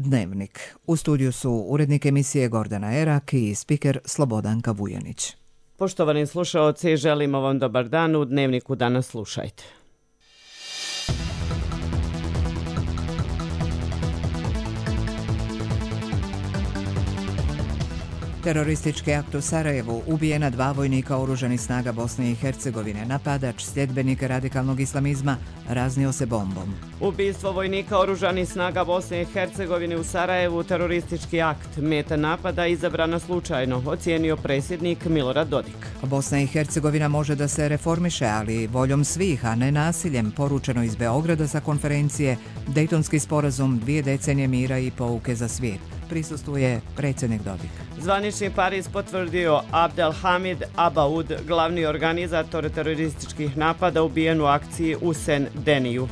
Dnevnik. U studiju su urednik emisije Gordana Erak i spiker Slobodanka Vujanić. Poštovani slušaoci, želimo vam dobar dan. U Dnevniku danas slušajte. Teroristički akt u Sarajevu, ubijena 2 vojnika oružanih snaga Bosne i Hercegovine, napadač, sljedbenik radikalnog islamizma, raznio se bombom. Ubistvo vojnika oružanih snaga Bosne i Hercegovine u Sarajevu, teroristički akt, meta napada izabrana slučajno, ocijenio predsjednik Milorad Dodik. Bosna i Hercegovina može da se reformiše, ali voljom svih, a ne nasiljem, poručeno iz Beograda sa konferencije Dejtonski sporazum, 2 decenije mira i pouke za svijet. Prisustvuje predsjednik Dodik. Zvanični Pariz potvrdio Abdelhamid Abaoud, glavni organizator terorističkih napada ubijen u akciji u Sen-Deniju.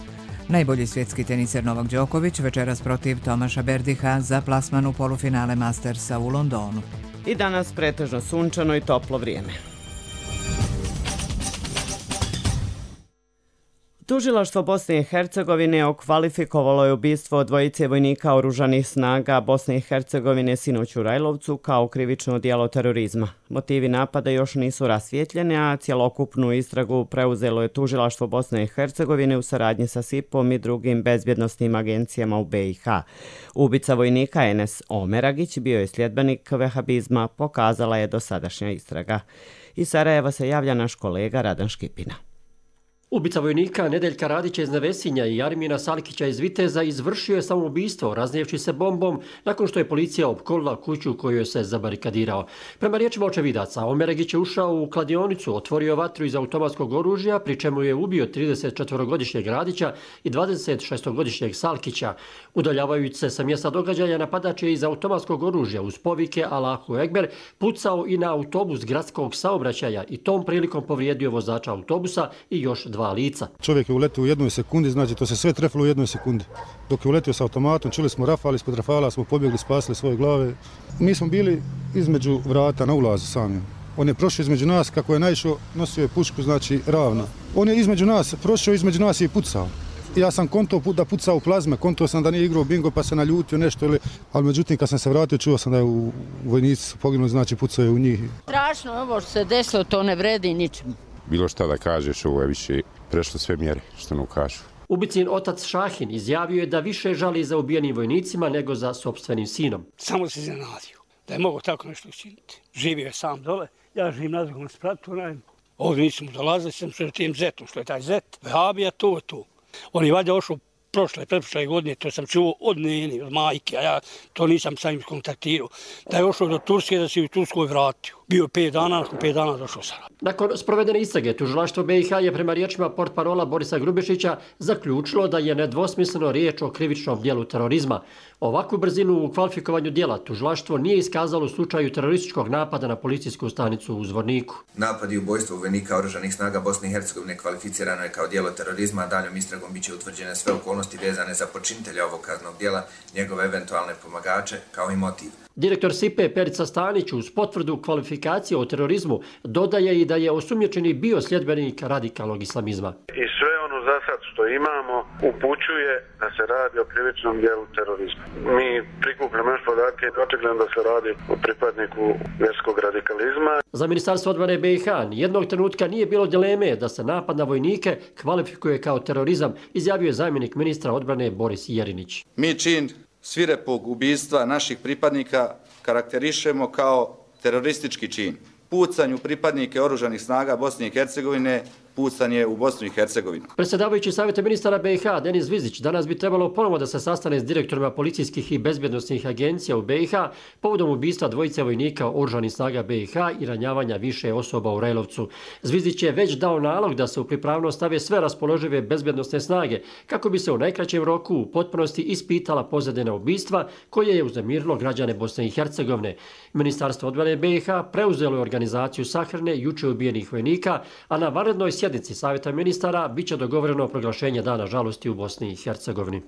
Najbolji svjetski teniser Novak Đoković večeras protiv Tomaša Berdiha za plasman u polufinale Mastersa u Londonu. I danas pretežno sunčano i toplo vrijeme. Tužilaštvo Bosne i Hercegovine okvalifikovalo je ubistvo 2 vojnika oružanih snaga Bosne i Hercegovine sinoć u Rajlovcu kao krivično djelo terorizma. Motivi napada još nisu rasvijetljeni, a cjelokupnu istragu preuzelo je Tužilaštvo Bosne i Hercegovine u saradnji sa SIP-om i drugim bezbjednosnim agencijama u BiH. Ubica vojnika Enes Omeragić bio je sljedbenik vehabizma, pokazala je dosadašnja istraga. Iz Sarajeva se javlja naš kolega Radan Škipina. Ubica vojnika Nedeljka Radića iz Nevesinja i Armina Salkića iz Viteza izvršio je samoubistvo raznijevši se bombom nakon što je policija opkolila kuću koju je se zabarikadirao. Prema riječima očevidaca, Omeragić je ušao u kladionicu, otvorio vatru iz automatskog oružja, pri čemu je ubio 34-godišnjeg Radića i 26-godišnjeg Salkića. Udaljavajući se sa mjesta događaja, napadač je iz automatskog oružja uz povike Allahu Ekber pucao i na autobus gradskog saobraćaja i tom prilikom povrijedio vozača autobusa i još 2 lica. Čovjek je uletio u 1 sekundi, znači to se sve trefilo u 1 sekundi. Dok je uletio sa automatom, čuli smo rafal, ispod rafala smo pobjegli, spasili svoje glave. Mi smo bili između vrata na ulazu sami. On je prošao između nas, kako je naišao, nosio je pušku, znači ravno. On je između nas, prošao između nas i pucao. Ja sam konto da pucao u plazme, konto sam da nije igrao bingo pa se naljutio nešto, ali međutim kad sam se vratio čuo sam da je u vojnici poginuli, znači pucao je u njih. Strašno ovo što se desilo, to ne vredi ničemu. Bilo šta da kažeš, ovo je više prešlo sve mjere, što nam kažu. Ubicin otac Šahin izjavio je da više žali za ubijenim vojnicima nego za sopstvenim sinom. Samo se iznenadio da je mogao tako nešto učiniti. Živio je sam dole, ja živim na drugom spratu, ovdje nisam dolazili, sam sa tim zetom, što je taj zet, vehabija, to je to. On je valjda ošao pretprošle godine, to sam čuo od nene, od majke, a ja to nisam sa njim kontaktirao, da je ošao do Turske, da se u Turskoj vratio. Bio 5 dana, nakon 5 dana došao Sarajevo. Nakon sprovedene istrage, Tužilaštvo BiH je prema riječima portparola Borisa Grubišića zaključilo da je nedvosmisleno riječ o krivičnom djelu terorizma. Ovakvu brzinu u kvalifikovanju djela Tužilaštvo nije iskazalo u slučaju terorističkog napada na policijsku stanicu u Zvorniku. Napad i ubojstvo vojnika oružanih snaga Bosne i Hercegovine kvalificirano je kao djelo terorizma, a daljom istragom biće utvrđene sve okolnosti vezane za počinitelja ovog kaznenog djela, njegove eventualne pomagače, kao i motiv. Direktor SIP-e Perica Stanić uz potvrdu kvalifikacije o terorizmu dodaje i da je osumnjičeni bio sljedbenik radikalnog islamizma. I sve ono za sad što imamo upućuje da se radi o krivičnom djelu terorizma. Mi prikupljamo još podatke i očigledno da se radi o pripadniku vjerskog radikalizma. Za Ministarstvo odbrane BiH nijednog trenutka nije bilo dileme da se napad na vojnike kvalifikuje kao terorizam, izjavio je zamjenik ministra odbrane Boris Jerinić. Mi čin svirepog ubistva naših pripadnika karakterišemo kao teroristički čin. Pucanju pripadnike oružanih snaga Bosne i Hercegovine pucanje u Bosnu i Hercegovinu. Predsjedavajući Savjeta ministara BiH Denis Zvizić danas bi trebalo ponovo da se sastane s direktorima policijskih i bezbjednosnih agencija u BiH povodom ubistva 2 vojnika oružanih snaga BiH i ranjavanja više osoba u Rajlovcu. Zvizić je već dao nalog da se u pripravnost stave sve raspoložive bezbjednosne snage kako bi se u najkraćem roku u potpunosti ispitala pozadina ubistva koje je uznemirilo građane Bosne i Hercegovine. Ministarstvo odbrane BiH preuzelo je organizaciju sahrane juče ubijenih vojnika, a na vanrednoj sjednici Savjeta ministara biće dogovoreno proglašenje dana žalosti u Bosni i Hercegovini.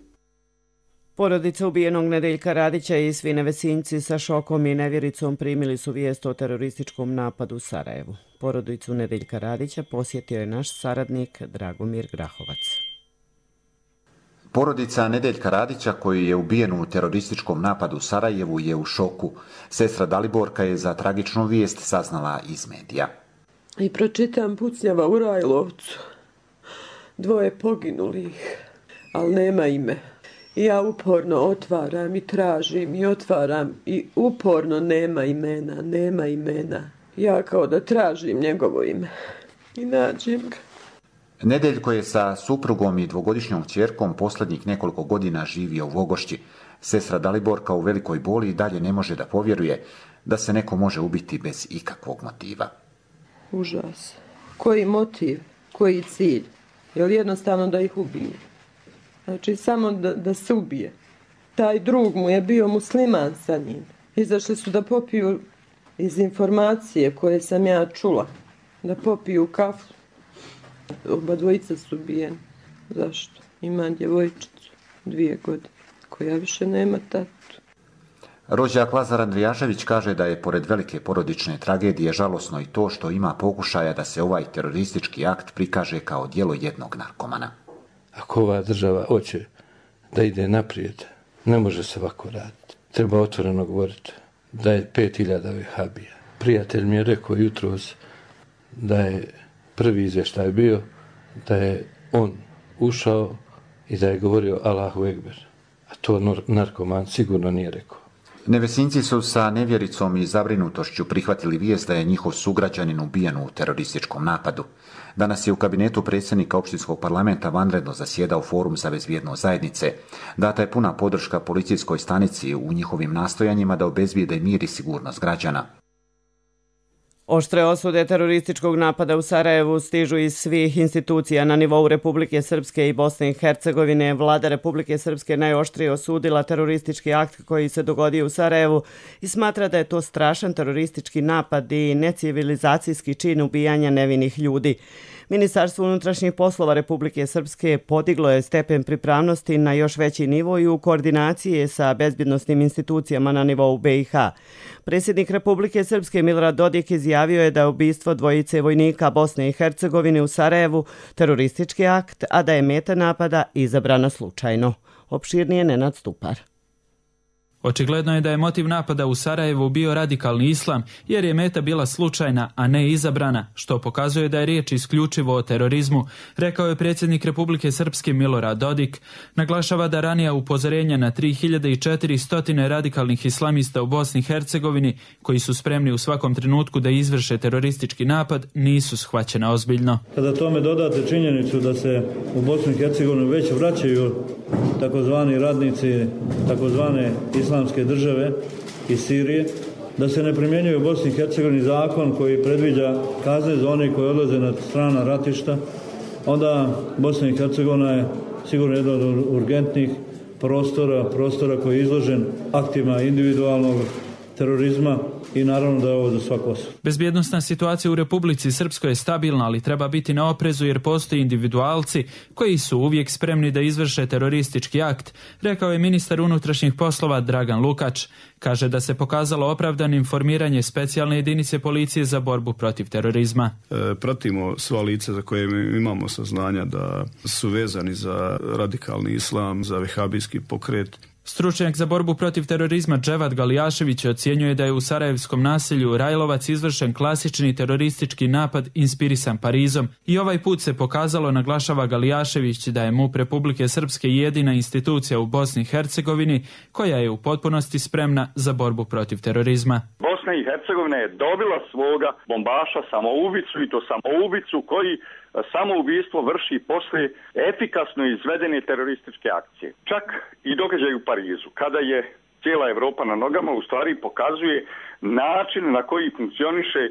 Porodica ubijenog Nedeljka Radića i svi Nevesinjci sa šokom i nevjericom primili su vijest o terorističkom napadu u Sarajevu. Porodicu Nedeljka Radića posjetio je naš saradnik Dragomir Grahovac. Porodica Nedeljka Radića, koji je ubijen u terorističkom napadu u Sarajevu, je u šoku. Sestra Daliborka je za tragičnu vijest saznala iz medija. I pročitam pucnjava u Rajlovcu. 2 poginulih, ali nema ime. I ja uporno otvaram i tražim i otvaram i uporno nema imena. Ja kao da tražim njegovo ime i nađem ga. Nedeljko je sa suprugom i 2-godišnjom kćerkom posljednjih nekoliko godina živio u Vogošći. Sestra Daliborka u velikoj boli i dalje ne može da povjeruje da se neko može ubiti bez ikakvog motiva. Užas. Koji motiv? Koji cilj? Je li jednostavno da ih ubije? Znači samo da se ubije. Taj drug mu je bio musliman sa njim. Izašli su da popiju iz informacije koje sam ja čula. Da popiju kafu. Oba dvojica su ubijeni. Zašto? Ima djevojčicu 2 godine koja više nema tatu. Rođak Lazar Andrijašević kaže da je pored velike porodične tragedije žalosno i to što ima pokušaja da se ovaj teroristički akt prikaže kao djelo jednog narkomana. Ako ova država hoće da ide naprijed, ne može se ovako raditi. Treba otvoreno govoriti da je 5000 vehabija. Prijatelj mi je rekao jutros da je prvi izvještaj bio da je on ušao i da je govorio Allahu Ekber. A to narkoman sigurno nije rekao. Nevesinci su sa nevjericom i zabrinutošću prihvatili vijest da je njihov sugrađanin ubijen u terorističkom napadu. Danas je u kabinetu predsjednika opštinskog parlamenta vanredno zasjedao Forum za bezbjednost zajednice. Data je puna podrška policijskoj stanici u njihovim nastojanjima da obezbijede mir i sigurnost građana. Oštre osude terorističkog napada u Sarajevu stižu iz svih institucija na nivou Republike Srpske i Bosne i Hercegovine. Vlada Republike Srpske najoštrije osudila teroristički akt koji se dogodio u Sarajevu i smatra da je to strašan teroristički napad i necivilizacijski čin ubijanja nevinih ljudi. Ministarstvo unutrašnjih poslova Republike Srpske podiglo je stepen pripravnosti na još veći nivo i u koordinaciji sa bezbjednosnim institucijama na nivou BiH. Predsjednik Republike Srpske Milorad Dodik izjavio je da je ubistvo 2 vojnika Bosne i Hercegovine u Sarajevu teroristički akt, a da je meta napada izabrana slučajno. Opširnije Nenad Stupar. Očigledno je da je motiv napada u Sarajevu bio radikalni islam, jer je meta bila slučajna, a ne izabrana, što pokazuje da je riječ isključivo o terorizmu, rekao je predsjednik Republike Srpske Milorad Dodik. Naglašava da ranija upozorenja na 3400 radikalnih islamista u Bosni i Hercegovini, koji su spremni u svakom trenutku da izvrše teroristički napad, nisu shvaćena ozbiljno. Kada tome dodate činjenicu da se u Bosnu i Hercegovinu već vraćaju takozvani radnici, takozvane islamske države iz Sirije, da se ne primjenjuje u Bosni i Hercegovini zakon koji predviđa kazne za one koji odlaze na strana ratišta, onda Bosna i Hercegovina je sigurno jedan od urgentnih prostora koji je izložen aktima individualnog terorizma i naravno da je ovo za svaku osobu. Bezbjednosna situacija u Republici Srpskoj je stabilna, ali treba biti na oprezu jer postoji individualci koji su uvijek spremni da izvrše teroristički akt, rekao je ministar unutrašnjih poslova Dragan Lukač. Kaže da se pokazalo opravdanim formiranje specijalne jedinice policije za borbu protiv terorizma. Pratimo sva lica za koje imamo saznanja da su vezani za radikalni islam, za vehabijski pokret. Stručnjak za borbu protiv terorizma Dževat Galijašević ocjenjuje da je u sarajevskom naselju Rajlovac izvršen klasični teroristički napad inspirisan Parizom i ovaj put se pokazalo, naglašava Galijašević, da je MUP Republike Srpske jedina institucija u Bosni i Hercegovini koja je u potpunosti spremna za borbu protiv terorizma. Bosna i Hercegovina je dobila svoga bombaša samoubicu i to samoubicu koji samoubistvo vrši posle efikasno izvedene terorističke akcije. Čak i događaj u Parizu, kada je cijela Evropa na nogama, u stvari pokazuje način na koji funkcioniše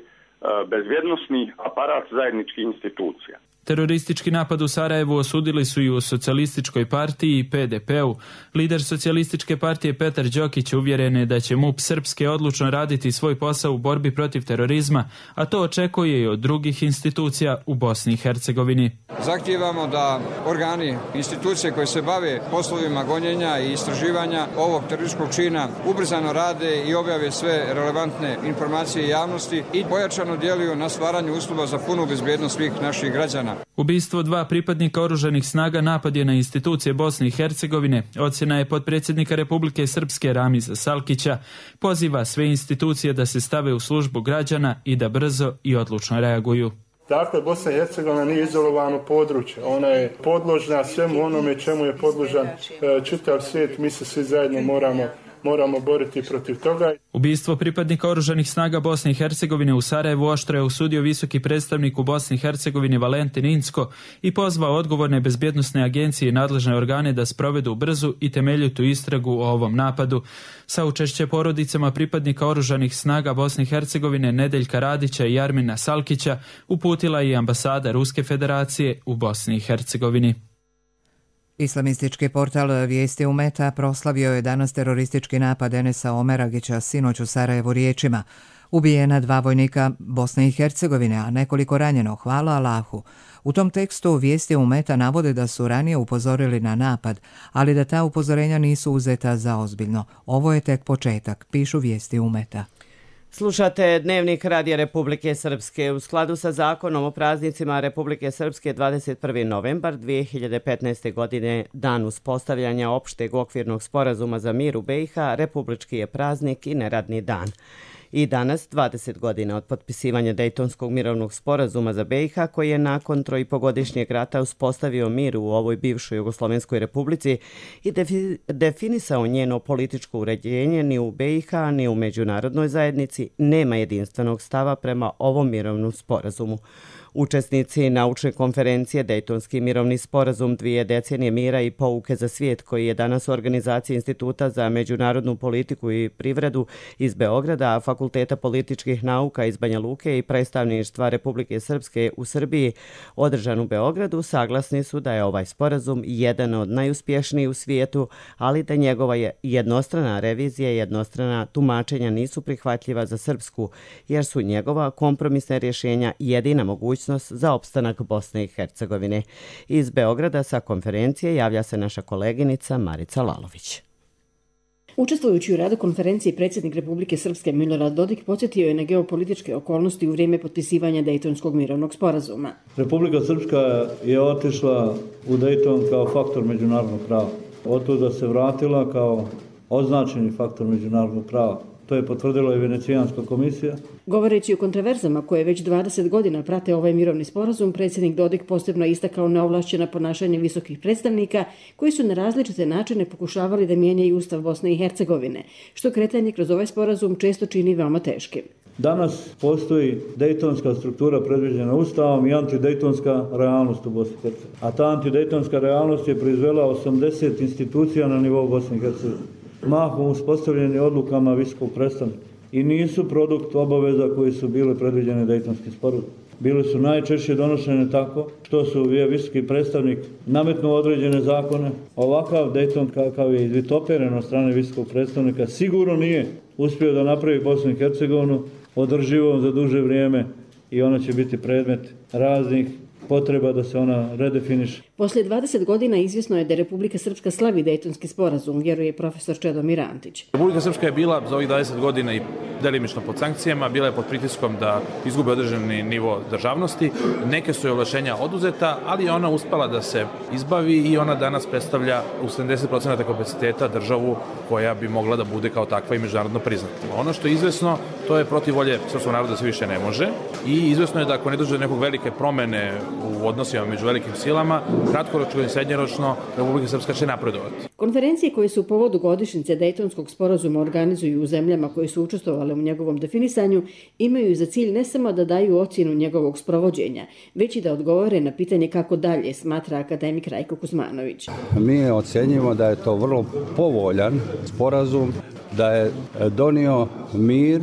bezbjednosni aparat zajedničkih institucija. Teroristički napad u Sarajevu osudili su i u Socijalističkoj partiji i PDP-u. Lider Socijalističke partije Petar Đokić uvjeren je da će MUP Srpske odlučno raditi svoj posao u borbi protiv terorizma, a to očekuje i od drugih institucija u Bosni i Hercegovini. Zahtijevamo da organi, institucije koje se bave poslovima gonjenja i istraživanja ovog terorističkog čina ubrzano rade i objave sve relevantne informacije javnosti i pojačano djeluju na stvaranju uslova za punu bezbjednost svih naših građana. dana. Ubistvo 2 pripadnika oružanih snaga napad je na institucije Bosne i Hercegovine. Ocjena je potpredsjednika Republike Srpske Ramiza Salkića. Poziva sve institucije da se stave u službu građana i da brzo i odlučno reaguju. Dakle, Bosna i Hercegovina nije izolovano područje. Ona je podložna svemu onome čemu je podložan čitav svijet. Mi se svi zajedno moramo boriti protiv toga. Ubistvo pripadnika oružanih snaga Bosne i Hercegovine u Sarajevu oštro je osudio visoki predstavnik u Bosni i Hercegovini Valentin Incko i pozvao odgovorne bezbjednosne agencije i nadležne organe da sprovedu brzu i temeljitu istragu o ovom napadu. Saučešće porodicama pripadnika oružanih snaga Bosne i Hercegovine Nedeljka Radića i Jarmina Salkića uputila i ambasada Ruske federacije u Bosni i Hercegovini. Islamistički portal Vijesti Umeta proslavio je danas teroristički napad Enesa Omeragića sinoć u Sarajevu riječima. Ubijena 2 vojnika Bosne i Hercegovine, a nekoliko ranjeno, hvala Allahu. U tom tekstu Vijesti Umeta navode da su ranije upozorili na napad, ali da ta upozorenja nisu uzeta za ozbiljno. Ovo je tek početak, pišu Vijesti Umeta. Slušate Dnevnik Radija Republike Srpske. U skladu sa zakonom o praznicima Republike Srpske 21. novembar 2015. godine, dan uspostavljanja opšteg okvirnog sporazuma za mir u BiH, republički je praznik i neradni dan. I danas, 20 godina od potpisivanja Dejtonskog mirovnog sporazuma za BiH, koji je nakon 3,5-godišnjeg rata uspostavio mir u ovoj bivšoj Jugoslovenskoj republici i definisao njeno političko uređenje, ni u BiH, ni u međunarodnoj zajednici nema jedinstvenog stava prema ovom mirovnom sporazumu. Učesnici naučne konferencije Dejtonski mirovni sporazum 2 decenije mira i pouke za svijet, koji je danas u organizaciji Instituta za međunarodnu politiku i privredu iz Beograda, Fakulteta političkih nauka iz Banja Luke i predstavništva Republike Srpske u Srbiji održan u Beogradu, saglasni su da je ovaj sporazum jedan od najuspješnijih u svijetu, ali da njegova jednostrana revizija i jednostrana tumačenja nisu prihvatljiva za Srpsku, jer su njegova kompromisna rješenja jedina mogućnost za opstanak Bosne i Hercegovine. Iz Beograda sa konferencije javlja se naša koleginica Marica Lalović. Učestvujući u radu konferencije, predsjednik Republike Srpske Milorad Dodik podsjetio je na geopolitičke okolnosti u vrijeme potpisivanja Dejtonskog mirovnog sporazuma. Republika Srpska je otišla u Dejton kao faktor međunarodnog prava. Otuda se vratila kao označeni faktor međunarodnog prava. To je potvrdila i Venecijanska komisija. Govoreći o kontroverzama koje već 20 godina prate ovaj mirovni sporazum, predsjednik Dodik posebno istakao neovlašćena ponašanje visokih predstavnika koji su na različite načine pokušavali da mijenjaju Ustav Bosne i Hercegovine, što kretanje kroz ovaj sporazum često čini veoma teškim. Danas postoji dejtonska struktura predviđena Ustavom i antidejtonska realnost u Bosni i Hercegovini. A ta antidejtonska realnost je proizvela 80 institucija na nivou Bosne i Hercegovine, mahom uspostavljeni odlukama visokog predstavnika i nisu produkt obaveza koji su bile predviđene Dejtonskim sporazumom. Bile su najčešće donošene tako što su visoki predstavnik nametnuo određene zakone. Ovakav Dejton kakav je izvitoperen od strane visokog predstavnika sigurno nije uspio da napravi Bosnu i Hercegovinu održivom za duže vrijeme i ona će biti predmet raznih potreba da se ona redefiniše. Poslije 20 godina izvjesno je da Republika Srpska slavi Dejtonski sporazum, vjeruje profesor Čedomir Antić. Republika Srpska je bila za ovih 20 godina i delimično pod sankcijama, bila je pod pritiskom da izgube određeni nivo državnosti. Neke su joj ovlašćenja oduzeta, ali je ona uspela da se izbavi i ona danas predstavlja u 70% kapaciteta državu koja bi mogla da bude kao takva i međunarodno priznata. Ono što je izvesno, to je protiv volje srpskog naroda se više ne može i izvesno je da ako ne dođe do nekog velike promene u odnosima među velikim silama, kratkoročno i srednjoročno Republika Srpska će napredovati. Konferencije koje su u povodu godišnjice Dejtonskog sporazuma organizuju u zemljama koje su učestvovale u njegovom definisanju imaju za cilj ne samo da daju ocjenu njegovog sprovođenja, već i da odgovore na pitanje kako dalje, smatra akademik Rajko Kuzmanović. Mi ocjenjujemo da je to vrlo povoljan sporazum, da je donio mir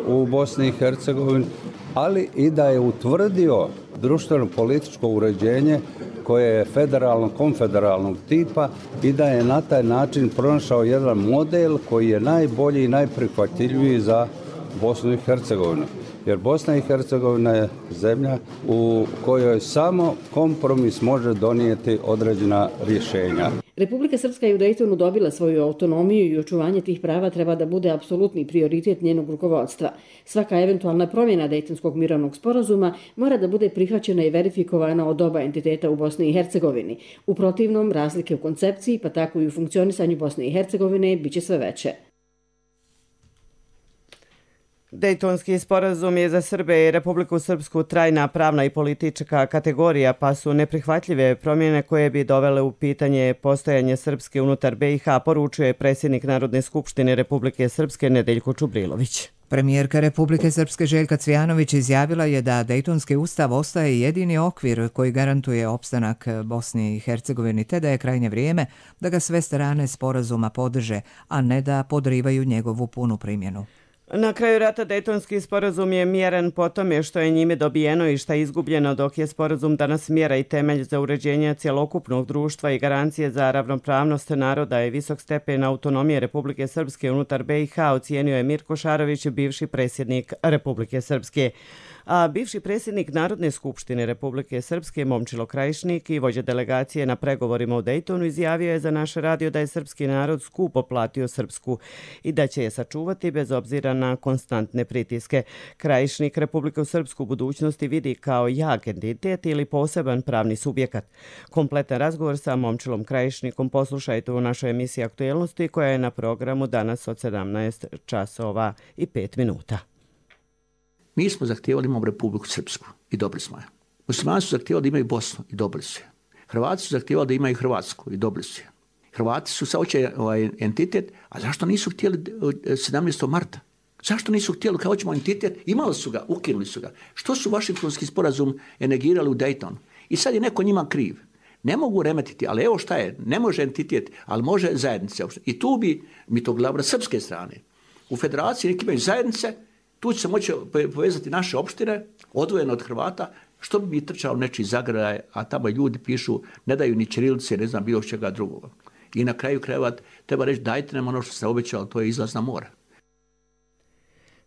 u Bosni i Hercegovini, ali i da je utvrdio društveno-političko uređenje koje je federalno-konfederalnog tipa i da je na taj način pronašao jedan model koji je najbolji i najprihvatljiviji za Bosnu i Hercegovinu. Jer Bosna i Hercegovina je zemlja u kojoj samo kompromis može donijeti određena rješenja. Republika Srpska je u Dejtonu dobila svoju autonomiju i očuvanje tih prava treba da bude apsolutni prioritet njenog rukovodstva. Svaka eventualna promjena Dejtonskog mirovnog sporazuma mora da bude prihvaćena i verifikovana od oba entiteta u Bosni i Hercegovini. U protivnom, razlike u koncepciji, pa tako i u funkcionisanju Bosne i Hercegovine, biće sve veće. Dejtonski sporazum je za Srbe i Republiku Srpsku trajna pravna i politička kategorija, pa su neprihvatljive promjene koje bi dovele u pitanje postojanje Srpske unutar BiH, poručuje predsjednik Narodne skupštine Republike Srpske Nedeljko Čubrilović. Premijerka Republike Srpske Željka Cvijanović izjavila je da Dejtonski ustav ostaje jedini okvir koji garantuje opstanak Bosni i Hercegovini, te da je krajnje vrijeme da ga sve strane sporazuma podrže, a ne da podrivaju njegovu punu primjenu. Na kraju rata Dejtonski sporazum je mjeren po tome što je njime dobijeno i što je izgubljeno, dok je sporazum danas mjera i temelj za uređenje cjelokupnog društva i garancije za ravnopravnost naroda i visok stepen autonomije Republike Srpske unutar BiH, ocijenio je Mirko Šarović, bivši predsjednik Republike Srpske. A bivši predsjednik Narodne skupštine Republike Srpske Momčilo Krajišnik i vođa delegacije na pregovorima u Dejtonu izjavio je za naš radio da je srpski narod skupo platio Srpsku i da će je sačuvati bez obzira na konstantne pritiske. Krajišnik Republiku Srpsku u budućnosti vidi kao jak entitet ili poseban pravni subjekat. Kompletan razgovor sa Momčilom Krajišnikom poslušajte u našoj emisiji Aktuelnosti koja je na programu danas od 17:05. Mi smo zahtijevali imamo Republiku Srpsku i dobili smo je. Muslimani su zahtijevali da imaju Bosnu i dobili su je. Hrvati su zahtijevali da imaju Hrvatsku i dobili su je. Hrvati su sad hoće entitet, a zašto nisu htjeli 17. marta? Zašto nisu htjeli kao hoćemo entitet? Imali su ga, ukinuli su ga. Što su Vašingtonski sporazum negirali u Dejtonu? I sad je neko njima kriv. Ne mogu remetiti, ali evo šta je, ne može entitet, ali može zajednice. I tu bi mi to glavno srpske strane. U federaciji neki imaju zajednice, tu će se moći povezati naše opštine, odvojene od Hrvata, što bi mi trčao nečiji zagraj, a tamo ljudi pišu, ne daju ni ćirilice, ne znam bilo čega drugoga. I na kraju krajeva treba reći dajte nam ono što se obećalo, to je izlaz na more.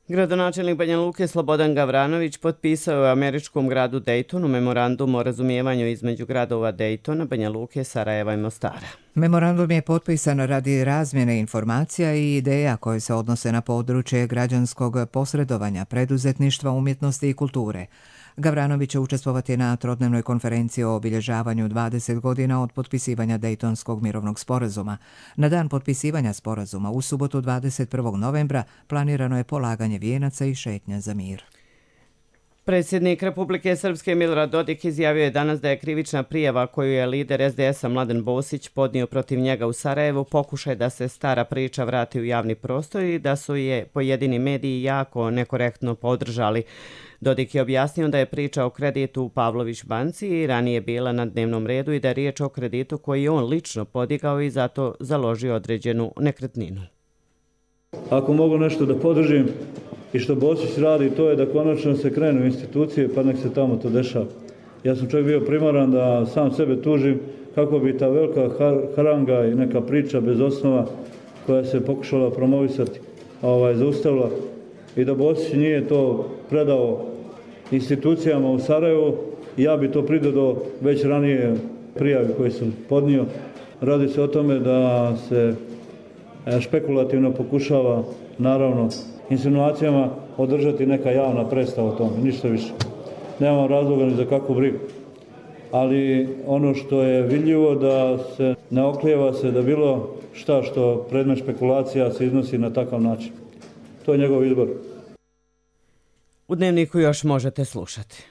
Gradonačelnik Banja Luke Slobodan Gavranović potpisao je u američkom gradu Dejtonu memorandum o razumijevanju između gradova Dejtona, Banja Luke, Sarajeva i Mostara. Memorandum je potpisan radi razmjene informacija i ideja koje se odnose na područje građanskog posredovanja, preduzetništva, umjetnosti i kulture. Gavranović će učestvovati na trodnevnoj konferenciji o obilježavanju 20 godina od potpisivanja Dejtonskog mirovnog sporazuma. Na dan potpisivanja sporazuma u subotu 21. novembra planirano je polaganje vijenaca i šetnja za mir. Predsjednik Republike Srpske Milorad Dodik izjavio je danas da je krivična prijava koju je lider SDS-a Mladen Bosić podnio protiv njega u Sarajevu pokušaj da se stara priča vrati u javni prostor i da su je pojedini mediji jako nekorektno podržali. Dodik je objasnio da je priča o kreditu u Pavlović banci i ranije bila na dnevnom redu i da je riječ o kreditu koji je on lično podigao i zato založio određenu nekretninu. Ako mogu nešto da podržim i što Bosić radi, to je da konačno se krenu institucije pa nek se tamo to dešava. Ja sam čak bio primoran da sam sebe tužim kako bi ta velika haranga i neka priča bez osnova koja se pokušala promovisati zaustavila i da Bosić nije to predao institucijama u Sarajevu, ja bi to pridodao već ranije prijavi koje sam podnio. Radi se o tome da se špekulativno pokušava, naravno, insinuacijama održati neka javna predstava o tome, ništa više. Nemamo razloga ni za kakvu brigu. Ali ono što je vidljivo da se ne oklijeva se da bilo šta što predmet špekulacija se iznosi na takav način. To je njegov izbor. U Dnevniku još možete slušati.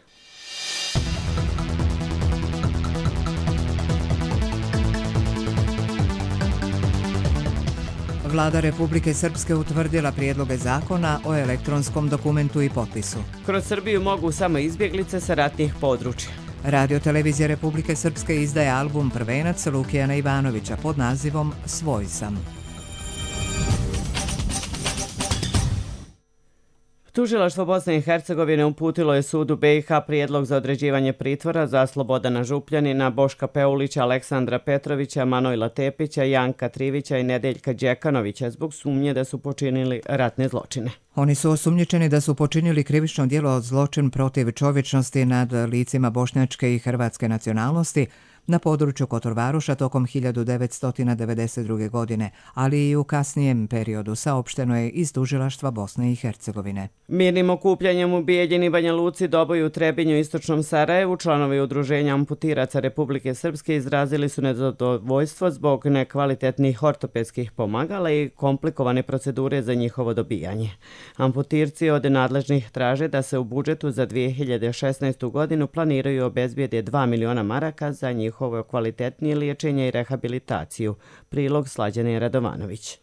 Vlada Republike Srpske utvrdila prijedloge zakona o elektronskom dokumentu i potpisu. Kroz Srbiju mogu samo izbjeglice sa ratnih područja. Radio Televizija Republike Srpske izdaje album Prvenac Lukijana Ivanovića pod nazivom Svoj sam. Tužilaštvo Bosne i Hercegovine uputilo je sudu BiH prijedlog za određivanje pritvora za Slobodana Župljanina, Boška Peulića, Aleksandra Petrovića, Manojla Tepića, Janka Trivića i Nedeljka Đekanovića zbog sumnje da su počinili ratne zločine. Oni su osumnjičeni da su počinili krivično djelo zločin protiv čovječnosti nad licima bošnjačke i hrvatske nacionalnosti, na području Kotorvaruša tokom 1992. godine, ali i u kasnijem periodu, saopšteno je iz tužilaštva Bosne i Hercegovine. Mirnim okupljanjem u Bijeljini, Banja Luci, Doboju, Trebinju i Istočnom Sarajevu članovi Udruženja amputiraca Republike Srpske izrazili su nezadovoljstvo zbog nekvalitetnih ortopedskih pomagala i komplikovane procedure za njihovo dobijanje. Amputirci od nadležnih traže da se u budžetu za 2016. godinu planiraju obezbijede 2 miliona maraka za njihovo kvalitetnije liječenje i rehabilitaciju. Prilog Slađane Radovanović.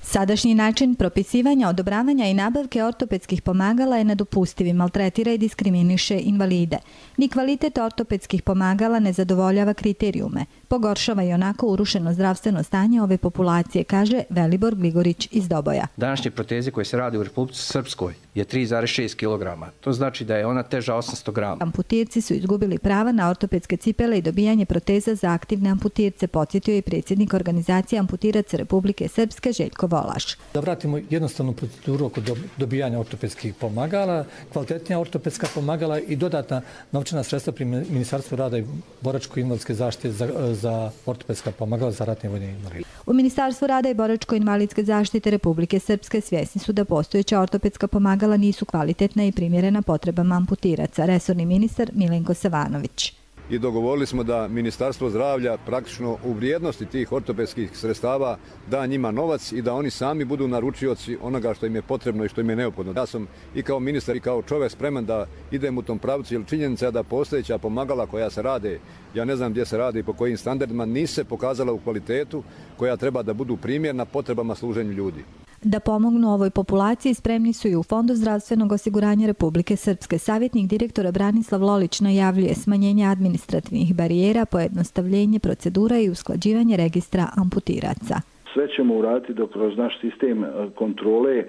Sadašnji način propisivanja, odobravanja i nabavke ortopedskih pomagala je nedopustiv i maltretira i diskriminiše invalide. Ni kvalitet ortopedskih pomagala ne zadovoljava kriterijume. Pogoršava i onako urušeno zdravstveno stanje ove populacije, kaže Velibor Gligorić iz Doboja. Današnje proteze koje se rade u Republici Srpskoj je 3,6 kg. To znači da je ona teža 800 grama. Amputirci su izgubili prava na ortopedske cipele i dobijanje proteza za aktivne amputirce, podsjetio je predsjednik organizacije amputiraca Republike Srpske Željko Volaš. Da vratimo jednostavnu proceduru oko dobijanja ortopedskih pomagala, kvalitetnija ortopedska pomagala i dodatna novčana sredstva pri Ministarstvu rada i boračko-invalidske zaštite za ortopedska pomagala za ratne vojne invalide. U Ministarstvu rada i boračko-invalidske zaštite Republike Srpske svjesni su da postojeća ortopedska pomagala nisu kvalitetna i primjerena potrebama amputiraca, resorni ministar Milenko Savanović. I dogovorili smo da Ministarstvo zdravlja praktično u vrijednosti tih ortopedskih sredstava da njima novac i da oni sami budu naručioci onoga što im je potrebno i što im je neophodno. Ja sam i kao ministar i kao čovjek spreman da idem u tom pravcu, jer činjenica je da postojeća pomagala koja se rade, ja ne znam gdje se rade i po kojim standardima, nisu se pokazala u kvalitetu koja treba da budu primjerna potrebama služenju ljudi. Da pomognu ovoj populaciji spremni su i u Fondu zdravstvenog osiguranja Republike Srpske. Savjetnik direktora Branislav Lolić najavljuje smanjenje administrativnih barijera, pojednostavljenje procedura i usklađivanje registra amputiraca. Sve ćemo uraditi da kroz naš sistem kontrole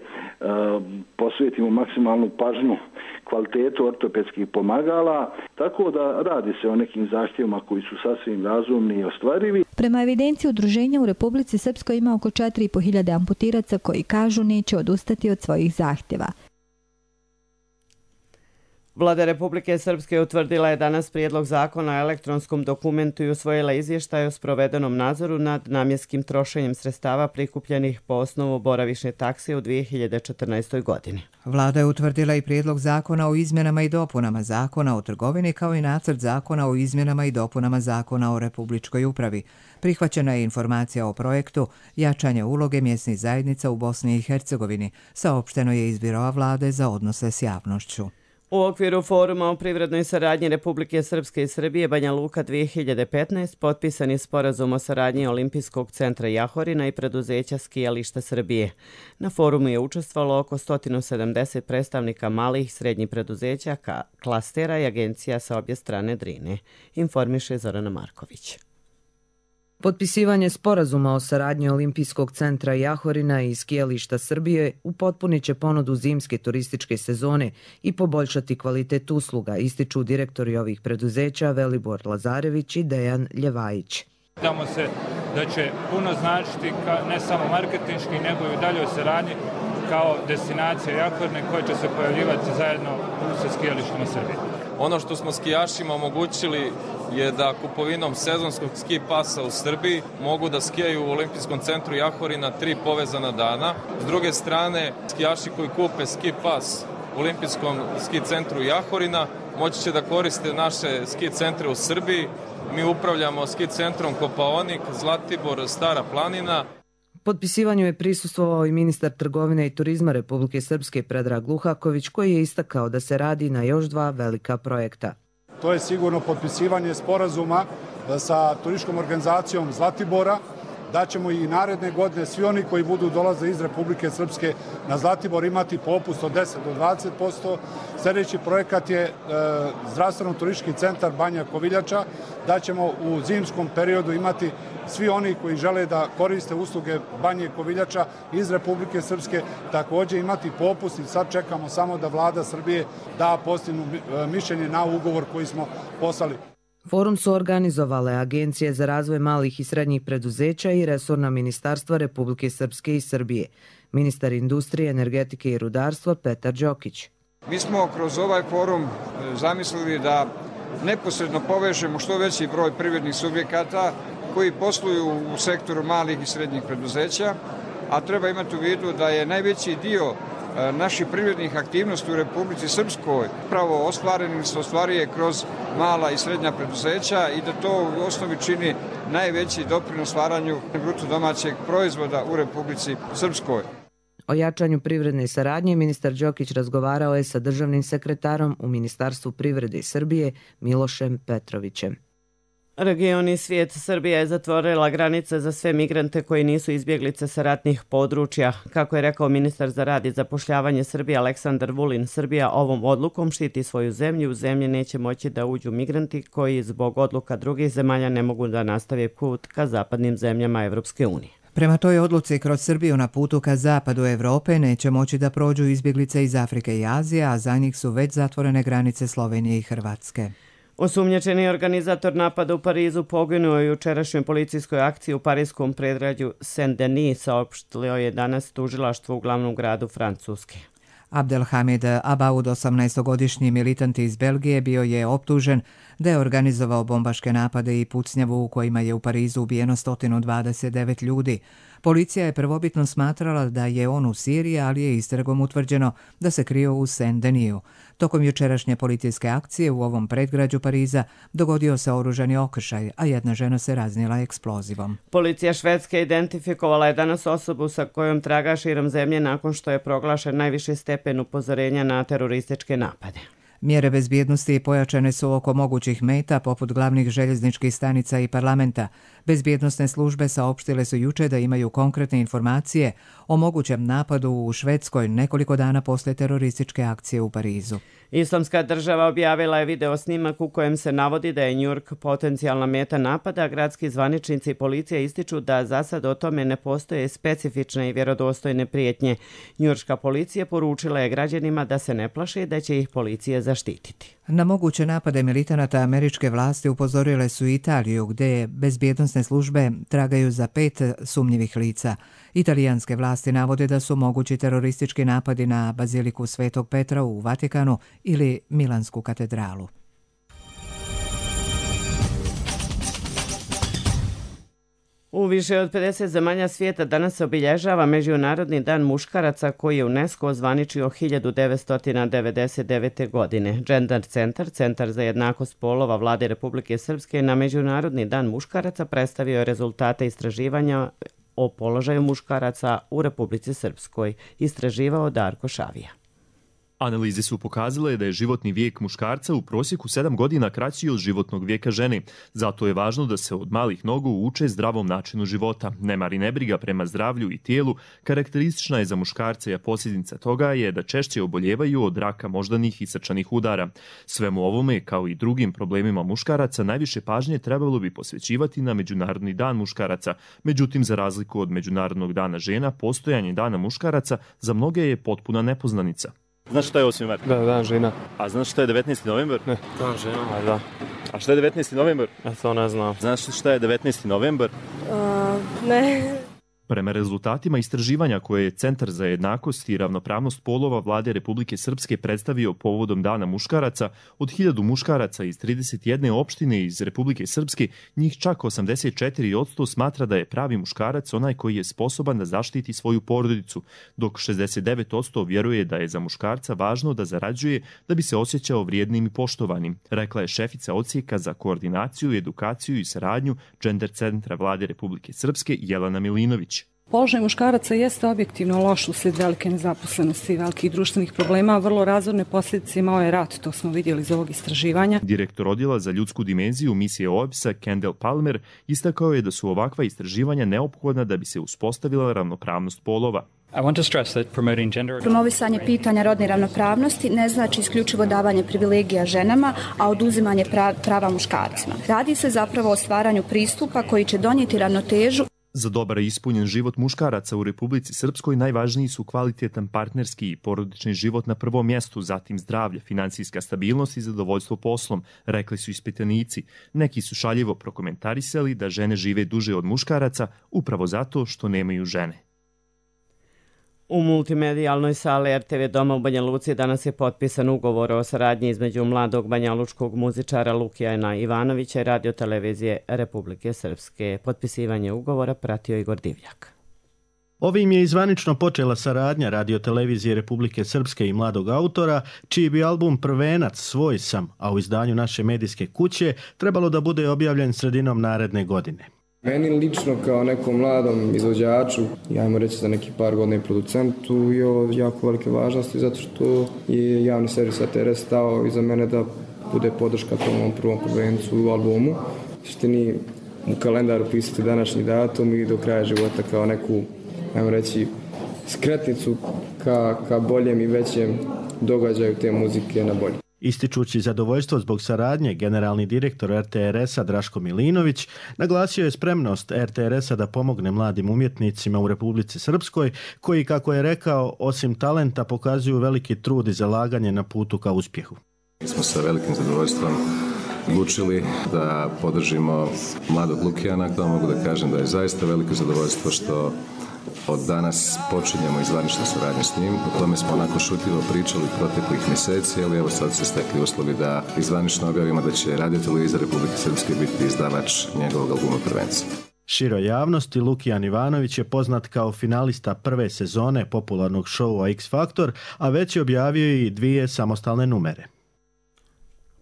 posvetimo maksimalnu pažnju kvalitetu ortopedskih pomagala, tako da radi se o nekim zahtjevima koji su sasvim razumni i ostvarivi. Prema evidenciji udruženja u Republici Srpskoj ima oko 4.500 amputiraca koji kažu neće odustati od svojih zahtjeva. Vlada Republike Srpske utvrdila je danas prijedlog zakona o elektronskom dokumentu i usvojila izvještaj o sprovedenom nadzoru nad namjenskim trošenjem sredstava prikupljenih po osnovu boravišne takse u 2014. godini. Vlada je utvrdila i prijedlog zakona o izmjenama i dopunama zakona o trgovini kao i nacrt zakona o izmjenama i dopunama zakona o republičkoj upravi. Prihvaćena je informacija o projektu jačanje uloge mjesnih zajednica u Bosni i Hercegovini, saopšteno je iz Biroa vlade za odnose s javnošću. U okviru foruma o privrednoj saradnji Republike Srpske i Srbije Banja Luka 2015 potpisan je sporazum o saradnji Olimpijskog centra Jahorina i preduzeća Skijališta Srbije. Na forumu je učestvovalo oko 170 predstavnika malih i srednjih preduzeća, klastera i agencija sa obje strane Drine, informiše Zorana Marković. Potpisivanje sporazuma o saradnji Olimpijskog centra Jahorina i skijališta Srbije upotpunit će ponudu zimske turističke sezone i poboljšati kvalitet usluga, ističu direktori ovih preduzeća Velibor Lazarević i Dejan Ljevajić. Nadamo se da će puno značiti ne samo marketinški, nego i u daljoj saradnji kao destinacija Jahorine koja će se pojavljivati zajedno sa skijalištima Srbije. Ono što smo skijašima omogućili je da kupovinom sezonskog ski pasa u Srbiji mogu da skijaju u Olimpijskom centru Jahorina 3 povezana dana. S druge strane, skijaši koji kupe ski pas u Olimpijskom ski centru Jahorina moći će da koriste naše ski centre u Srbiji. Mi upravljamo ski centrom Kopaonik, Zlatibor, Stara planina. Potpisivanju je prisustvovao i ministar trgovine i turizma Republike Srpske Predrag Luhaković, koji je istakao da se radi na još 2 velika projekta. To je sigurno potpisivanje sporazuma sa turističkom organizacijom Zlatibora, da ćemo i naredne godine svi oni koji budu dolaze iz Republike Srpske na Zlatibor imati popust od 10 do 20%. Sljedeći projekat je zdravstveno-turistički centar Banja Koviljača, da ćemo u zimskom periodu imati svi oni koji žele da koriste usluge Banje Koviljača iz Republike Srpske također imati popust i sad čekamo samo da vlada Srbije da postignu mišljenje na ugovor koji smo poslali. Forum su organizovale Agencije za razvoj malih i srednjih preduzeća i resorna ministarstva Republike Srpske i Srbije. Ministar industrije, energetike i rudarstva Petar Đokić. Mi smo kroz ovaj forum zamislili da neposredno povežemo što veći broj privrednih subjekata koji posluju u sektoru malih i srednjih preduzeća, a treba imati u vidu da je najveći dio naših privrednih aktivnosti u Republici Srpskoj pravo ostvaruje kroz mala i srednja preduzeća i da to u osnovi čini najveći doprinos stvaranju bruto domaćeg proizvoda u Republici Srpskoj. O jačanju privredne saradnje ministar Đokić razgovarao je sa državnim sekretarom u Ministarstvu privrede Srbije Milošem Petrovićem. Region i svijet. Srbija je zatvorila granice za sve migrante koji nisu izbjeglice sa ratnih područja. Kako je rekao ministar za rad i zapošljavanje Srbije Aleksandar Vulin, Srbija ovom odlukom štiti svoju zemlju. U zemlji neće moći da uđu migranti koji zbog odluka drugih zemalja ne mogu da nastave put ka zapadnim zemljama Evropske unije. Prema toj odluci kroz Srbiju na putu ka zapadu Evrope neće moći da prođu izbjeglice iz Afrike i Azije, a za njih su već zatvorene granice Slovenije i Hrvatske. Osumnjičeni organizator napada u Parizu poginuo je u jučerašnjoj policijskoj akciji u parijskom predgrađu Saint-Denis, saopštilo je danas tužilaštvo u glavnom gradu Francuske. Abdelhamid Abaoud, 18-godišnji militant iz Belgije, bio je optužen da je organizovao bombaške napade i pucnjavu u kojima je u Parizu ubijeno 129 ljudi. Policija je prvobitno smatrala da je on u Siriji, ali je istragom utvrđeno da se krio u Saint-Deniju. Tokom jučerašnje policijske akcije u ovom predgrađu Pariza dogodio se oružani okršaj, a jedna žena se raznijela eksplozivom. Policija Švedske identifikovala je danas osobu sa kojom traga širom zemlje nakon što je proglašen najviši stepen upozorenja na terorističke napade. Mjere bezbjednosti pojačane su oko mogućih meta poput glavnih željezničkih stanica i parlamenta. Bezbjednosne službe saopštile su juče da imaju konkretne informacije o mogućem napadu u Švedskoj nekoliko dana posle terorističke akcije u Parizu. Islamska država objavila je video snimak u kojem se navodi da je New York potencijalna meta napada. Gradski zvaničnici i policija ističu da za sad o tome ne postoje specifične i vjerodostojne prijetnje. Njujorška policija poručila je građanima da se ne plaše i da će ih policija zaštititi. Na moguće napade militanata američke vlasti upozorile su Italiju, gdje bezbjednosne službe tragaju za 5 sumnjivih lica. Italijanske vlasti navode da su mogući teroristički napadi na Baziliku Svetog Petra u Vatikanu ili Milansku katedralu. U više od 50 zemalja svijeta danas se obilježava Međunarodni dan muškaraca koji je UNESCO ozvaničio 1999. godine. Gender Centar, Centar za jednakost polova Vlade Republike Srpske, na Međunarodni dan muškaraca predstavio je rezultate istraživanja o položaju muškaraca u Republici Srpskoj. Istraživao Darko Šavija. Analize su pokazale da je životni vijek muškarca u prosjeku 7 godina kraći od životnog vijeka žene. Zato je važno da se od malih nogu uče zdravom načinu života. Nemar i nebriga prema zdravlju i tijelu karakteristična je za muškarce, a posljedica toga je da češće oboljevaju od raka moždanih i srčanih udara. Svemu ovome, kao i drugim problemima muškaraca, najviše pažnje trebalo bi posvećivati na Međunarodni dan muškaraca. Međutim, za razliku od Međunarodnog dana žena, postojanje dana muškaraca za mnoge je potpuna nepoznanica. Znaš šta je 8. mart? Da, dan žena. A znaš šta je 19. novembar? Ne. Dan žena, da. A šta je 19. novembar? Ja to ne znam. Znaš šta je 19. novembar? Ne. Prema rezultatima istraživanja koje je Centar za jednakost i ravnopravnost polova Vlade Republike Srpske predstavio povodom Dana muškaraca, od 1000 muškaraca iz 31 opštine iz Republike Srpske, njih čak 84% smatra da je pravi muškarac onaj koji je sposoban da zaštiti svoju porodicu, dok 69% vjeruje da je za muškarca važno da zarađuje da bi se osjećao vrijednim i poštovanim, rekla je šefica odsjeka za koordinaciju, edukaciju i saradnju Gender Centra Vlade Republike Srpske Jelena Milinović. Položaj muškaraca jeste objektivno loš uslijed velike nezaposlenosti i velikih društvenih problema, a vrlo razorne posljedice imao je rat, to smo vidjeli iz ovog istraživanja. Direktor odjela za ljudsku dimenziju misije OEBS-a Kendall Palmer istakao je da su ovakva istraživanja neophodna da bi se uspostavila ravnopravnost polova. Promovisanje pitanja rodne ravnopravnosti ne znači isključivo davanje privilegija ženama, a oduzimanje prava muškarcima. Radi se zapravo o stvaranju pristupa koji će donijeti ravnotežu. Za dobar i ispunjen život muškaraca u Republici Srpskoj najvažniji su kvalitetan partnerski i porodični život na prvom mjestu, zatim zdravlje, finansijska stabilnost i zadovoljstvo poslom, rekli su ispitanici. Neki su šaljivo prokomentarisali da žene žive duže od muškaraca upravo zato što nemaju žene. U multimedijalnoj sali RTV Doma u Banja Luci danas je potpisan ugovor o saradnji između mladog banjalučkog muzičara Lukijana Ivanovića i radiotelevizije Republike Srpske. Potpisivanje ugovora pratio Igor Divljak. Ovim je izvanično počela saradnja radiotelevizije Republike Srpske i mladog autora, čiji bi album Prvenac Svoj sam, a u izdanju naše medijske kuće, trebalo da bude objavljen sredinom naredne godine. Meni lično kao nekom mladom izvođaču, ajmo reći za neki par godina i producentu, je ovo jako velike važnosti zato što je javni servis ATRS stao iza mene da bude podrška tom prvom prvencu u albumu. Suštini u kalendaru pisati današnji datum i do kraja života kao neku, ajmo reći, skretnicu ka boljem i većem događaju te muzike na bolje. Ističući zadovoljstvo zbog saradnje, generalni direktor RTRS-a Draško Milinović naglasio je spremnost RTRS-a da pomogne mladim umjetnicima u Republici Srpskoj, koji, kako je rekao, osim talenta pokazuju veliki trud i zalaganje na putu ka uspjehu. Mi smo sa velikim zadovoljstvom odlučili da podržimo mladog Lukijana, da mogu da kažem da je zaista veliko zadovoljstvo što od danas počinjemo izvaničnu suradnju s njim. O tome smo onako šutljivo pričali proteklih mjeseci, ali evo sad se stekli uslovi da izvanično objavimo da će radiotelevizija Republike Srpske biti izdavač njegovog albuma Prvenca. Široj javnosti Lukijan Ivanović je poznat kao finalista prve sezone popularnog šoua X Faktor, a već je objavio i 2 samostalne numere.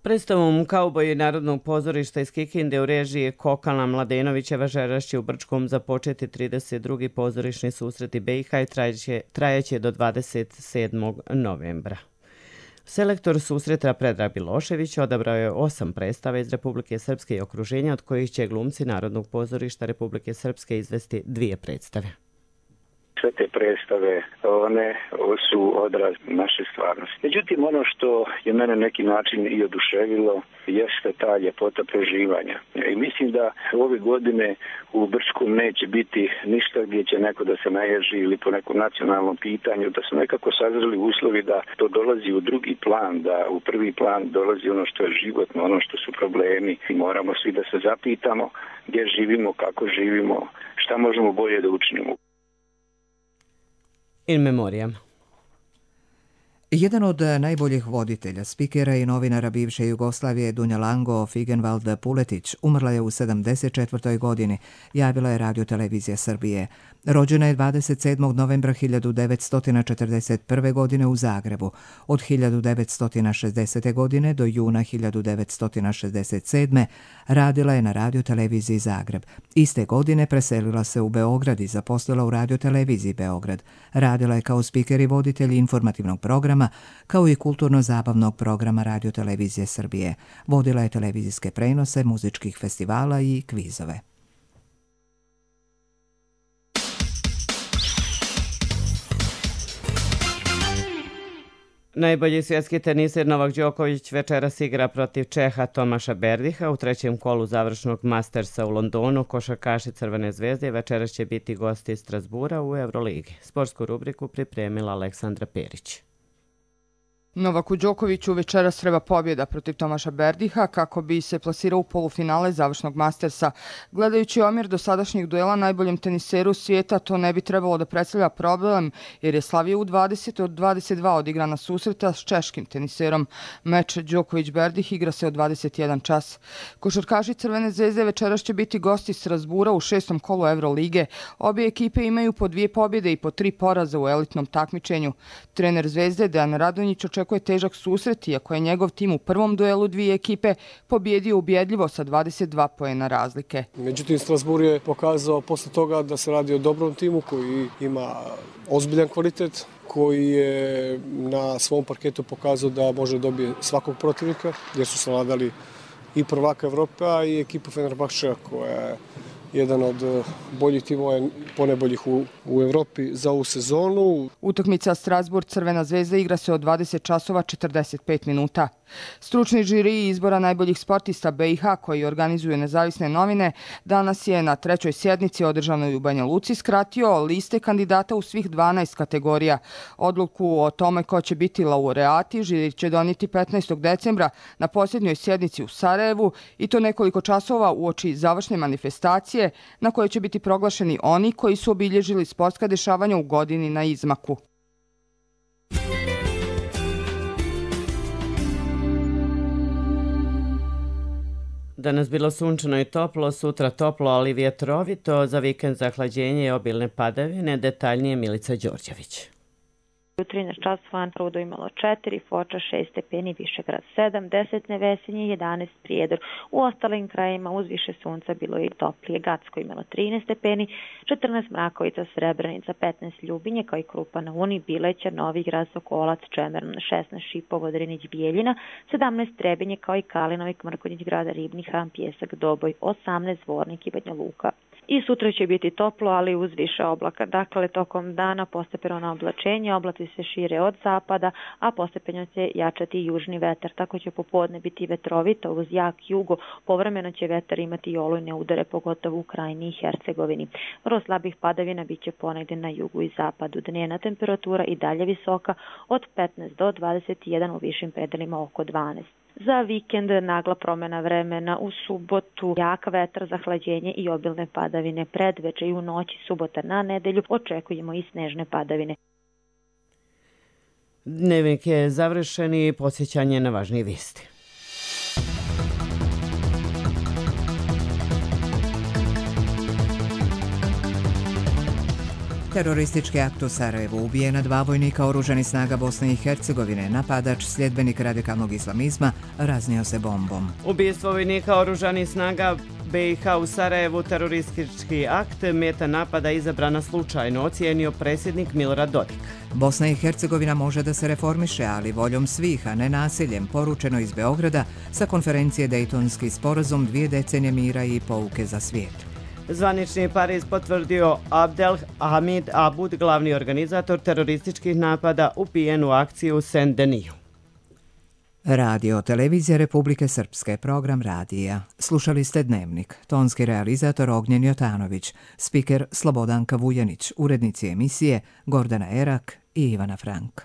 Predstavom Kauboji Narodnog pozorišta iz Kikinde u režiji Kokana Mladenovića večeras će u Brčkom započeti 32. pozorišni susreti BiH i trajaće do 27. novembra. Selektor susreta Predrag Bilošević odabrao je 8 predstava iz Republike Srpske i okruženja, od kojih će glumci Narodnog pozorišta Republike Srpske izvesti 2 predstave. Sve te predstave, one su odraz naše stvarnosti. Međutim, ono što je mene na neki način i oduševilo jeste ta ljepota preživanja. I mislim da ove godine u Brčkom neće biti ništa gdje će neko da se naježi ili po nekom nacionalnom pitanju, da su nekako sazreli uslovi da to dolazi u drugi plan, da u prvi plan dolazi ono što je životno, ono što su problemi. I moramo svi da se zapitamo gdje živimo, kako živimo, šta možemo bolje da učinimo. In memoriam. Jedan od najboljih voditelja, spikera i novinara bivše Jugoslavije Dunja Lango Figenvald Puletić umrla je u 74. godini, javila je radiotelevizija Srbije. Rođena je 27. novembra 1941. godine u Zagrebu. Od 1960. godine do juna 1967. radila je na radioteleviziji Zagreb. Iste godine preselila se u Beograd i zaposlila u radioteleviziji Beograd. Radila je kao spiker i voditelj informativnog programa, kao i kulturno-zabavnog programa radiotelevizije Srbije. Vodila je televizijske prenose, muzičkih festivala i kvizove. Najbolji svjetski teniser Novak Đoković večeras igra protiv Čeha Tomaša Berdiha u 3. kolu završnog Mastersa u Londonu. Košarkaši Crvene zvezde večeras će biti gosti iz Strasbura u Euroligi. Sportsku rubriku pripremila Aleksandra Perić. Novaku Đokoviću večeras treba pobjeda protiv Tomaša Berdiha kako bi se plasirao u polufinale završnog Mastersa. Gledajući omjer dosadašnjih duela najboljem teniseru svijeta, to ne bi trebalo da predstavlja problem, jer je slavio u 20 od 22 odigrana susreta s češkim teniserom. Meč Đoković-Berdih igra se od 21 čas. Košarkaši Crvene zvezde večeras će biti gosti Strasbura u 6. kolu Eurolige. Obje ekipe imaju po 2 pobjede i po 3 poraza u elitnom takmičenju. Trener Zvezde Dejan Radonjić očekuje težak susret, iako je njegov tim u prvom duelu dvije ekipe pobjedio ubjedljivo sa 22 poena razlike. Međutim, Strasbourg je pokazao posle toga da se radi o dobrom timu koji ima ozbiljan kvalitet, koji je na svom parketu pokazao da može dobije svakog protivnika, jer su savladali i prvaka Evrope, a i ekipu Fenerbahčeja koja je jedan od boljih timova, ponajboljih u Evropi za ovu sezonu. Utakmica Strasbourg Crvena zvezda igra se od 20 časova 45 minuta. Stručni žiri izbora najboljih sportista BiH koji organizuju nezavisne novine danas je na 3. sjednici održanoj u Banja Luci skratio liste kandidata u svih 12 kategorija. Odluku o tome ko će biti laureati žiri će donijeti 15. decembra na posljednjoj sjednici u Sarajevu i to nekoliko časova uoči završne manifestacije na kojoj će biti proglašeni oni koji su obilježili sportska dešavanja u godini na izmaku. Danas bilo sunčano i toplo, sutra toplo, ali vjetrovito, za vikend zahlađenje i obilne padavine. Detaljnije Milica Đorđević. U 13 časova Rudo imalo 4, Foča 6 stepeni, Višegrad 7, 10 Nevesinje, 11 Prijedor. U ostalim krajima uz više sunca bilo je i toplije. Gacko imalo 13 stepeni, 14 Mrakovica, Srebrenica, 15 Ljubinje, kao i Krupa na Uni, Bileća, Novigrad, Sokolac, Čemerno, 16 Šipovo, Drinić, Bijeljina, 17 Trebinje, kao i Kalinovik, Mrkonjić, Grada, Ribni, Hram, Pjesak, Doboj, 18 Zvornik i Banja Luka. I sutra će biti toplo, ali uz više oblaka. Dakle, tokom dana postepeno na oblačenje, oblaci se šire od zapada, a postepeno će jačati južni vetar. Tako će popodne biti vetrovito uz jak jugo. Povremeno će vetar imati i olujne udare, pogotovo u Krajini i Hercegovini. Vrlo slabih padavina bit će ponegdje na jugu i zapadu. Dnevna temperatura i dalje visoka od 15 do 21, u višim predelima oko 12. Za vikend nagla promjena vremena, u subotu jak vetar, zahlađenje i obilne padavine. Predveče i u noći subota na nedelju očekujemo i snežne padavine. Dnevnik je završen i podsjećanje na važnije vijesti. Teroristički akt u Sarajevu, ubijena 2 vojnika oružanih snaga Bosne i Hercegovine, napadač, sljedbenik radikalnog islamizma, raznio se bombom. Ubijstvo vojnika oružanih snaga BiH u Sarajevu, teroristički akt, meta napada izabrana slučajno, ocijenio predsjednik Milorad Dodik. Bosna i Hercegovina može da se reformiše, ali voljom svih, a ne nasiljem, poručeno iz Beograda sa konferencije Dejtonski sporazum, 2 decenije mira i pouke za svijet. Zvanični Pariz potvrdio Abdel Hamid Abud, glavni organizator terorističkih napada, ubijen u akciji u Saint-Deniju. Radio Televizija Republike Srpske, program radija. Slušali ste Dnevnik. Tonski realizator Ognjen Jotanović, spiker Slobodanka Vujanić, urednici emisije Gordana Erak i Ivana Frank.